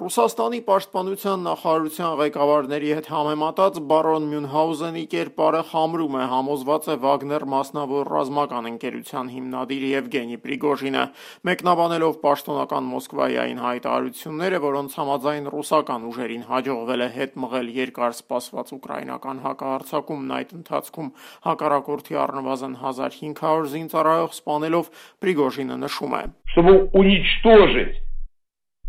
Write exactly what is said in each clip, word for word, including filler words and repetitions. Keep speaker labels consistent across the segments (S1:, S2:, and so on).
S1: Ռուսաստանի պաշտպանության նախարարության ղեկավարների հետ համեմատած բարոն Մյունհաուզենի կերպարը խամրում է, համոզված է Վագներ մասնավոր ռազմական ընկերության հիմնադիր Եվգենի Պրիգոժինը, մեկնաբանելով պաշտոնական Մոսկվայիային հայտարարությունները, որոնց համաձայն ռուսական ուժերին հաջողվել է հետ մղել երկար սպասված ուկրաինական հակահարձակումն, այդ ընթացքում հակառակորդի առնվազն հազար հինգ հարյուր զինծառայող սպանելով, Պրիգոժինը նշում է.
S2: Чтобы уничтожить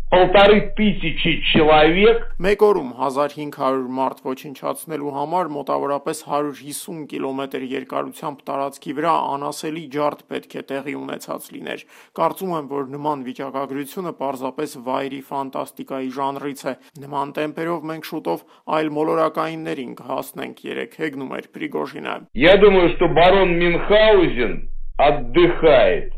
S2: полторы тысячи человек.
S1: Մեկ օրում հազար հինգ հարյուր մարդ ոչնչացնելու համար մոտավորապես հարյուր հիսուն կիլոմետր երկարությամբ տարածքի վրա անասելի ջարդ պետք է տեղի ունեցած լիներ։ Կարծում եմ, որ նման վիճակագրությունը պարզապես վայրի ֆանտաստիկայի ժանրից է։ Նման տեմպերով մենք շուտով այլ մոլորակայիններին կհասնենք, երեկ հեգնում էր Պրիգոժինը։
S2: Я думаю, что барон Мюнхгаузен отдыхает.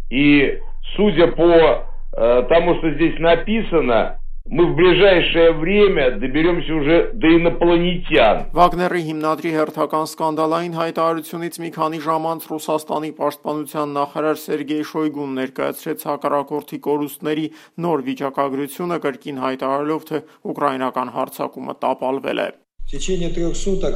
S2: И судя по тому, что здесь написано, мы в ближайшее время доберемся уже до инопланетян.
S1: Վագների հիմնադրի հերթական սկանդալային հայտարարությունից մի քանի ժամ անց Ռուսաստանի պաշտպանության նախարար Սերգեյ Շոյգուն ներկայացրեց հակառակորդի կորուստների նոր վիճակագրությունը, կրկին հայտարարելով, թե ուկրաինական հարձակումը տապալվել է։
S3: В течение трех суток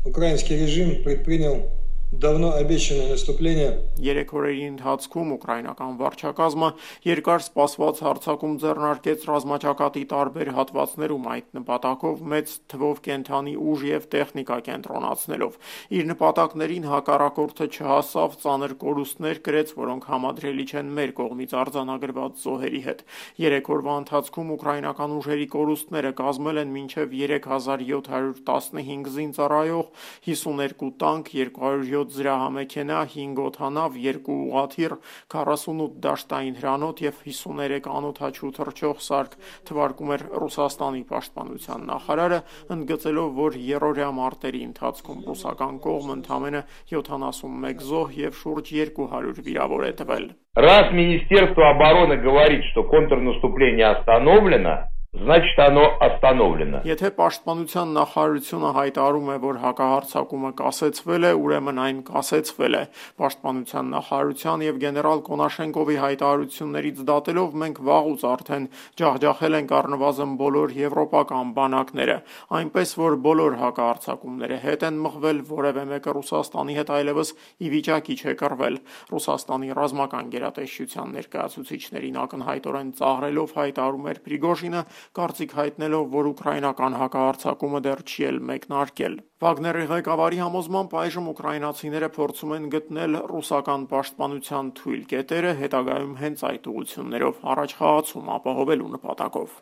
S3: украинский режим предпринял давно обещанное наступление.
S1: Երեք օրերի ընթացքում ուկրաինական վարչակազմը երկար սպասված հարձակում ձեռնարկեց ռազմաճակատի տարբեր հատվածներում, այդ նպատակով մեծ թվով կենդանի ուժ եւ տեխնիկա կենտրոնացնելով։ Իր նպատակներին հակառակորդը չհասավ, ծանր կորուստներ կրեց, որոնք համադրելի չեն մեր կողմից արձանագրված զոհերի հետ։ Երեք օրվա ընթացքում ուկրաինական ուժերի կորուստները կազմել են մինչև երեք հազար յոթ հարյուր տասնհինգ զինծառայող, հիսուներկու տանկ, երկու հարյուր յոթ զրահամեքենա, հինգ օդանավ, երկու ուղղաթիռ, քառասունութ դաշտային հրանոթ եւ հիսուներեք անօդաչու թռչող սարք, թվարկում էր Ռուսաստանի պաշտպանության նախարարը, ընդգծելով, որ երրորդյա մարտերի ընթացքում ռուսական կողմը ընդամենը յոթանասունմեկ զոհ եւ շուրջ երկու հարյուր վիրավոր է տվել։
S2: Раз Министерство обороны говорит, что контрнаступление остановлено, значит оно остановлено.
S1: Եթե պաշտպանության նախարարությունը հայտարարում է, որ հակահարձակումը կասեցվել է, ուրեմն այն կասեցվել է։ Պաշտպանության նախարարության եւ գեներալ Կոնաշենկովի հայտարարություններից դատելով մենք վաղուց արդեն ջախջախել ենք առնվազն բոլոր եվրոպական բանակները, այնպես որ բոլոր հակահարձակումները հետ են մղվել, որևէ մեկը Ռուսաստանի հետ այլևս ի վիճակի չէ կռվել։ Ռուսաստանի ռազմական գերատեսչության ներկայացուցիչներին ակնհայտորեն ծաղրելով հայտարարում էր Պրիգոժինը, կարծիք հայտնելով, որ ուկրաինական հակահարձակումը դեռ չի էլ մեկնարկել։ Վագների ղեկավարի համոզմամբ այժմ ուկրաինացիները փորձում են գտնել ռուսական պաշտպանության թույլ կետերը, հետագայում հենց այդ ուղղություններով առաջխաղացում ապահովելու նպատակով։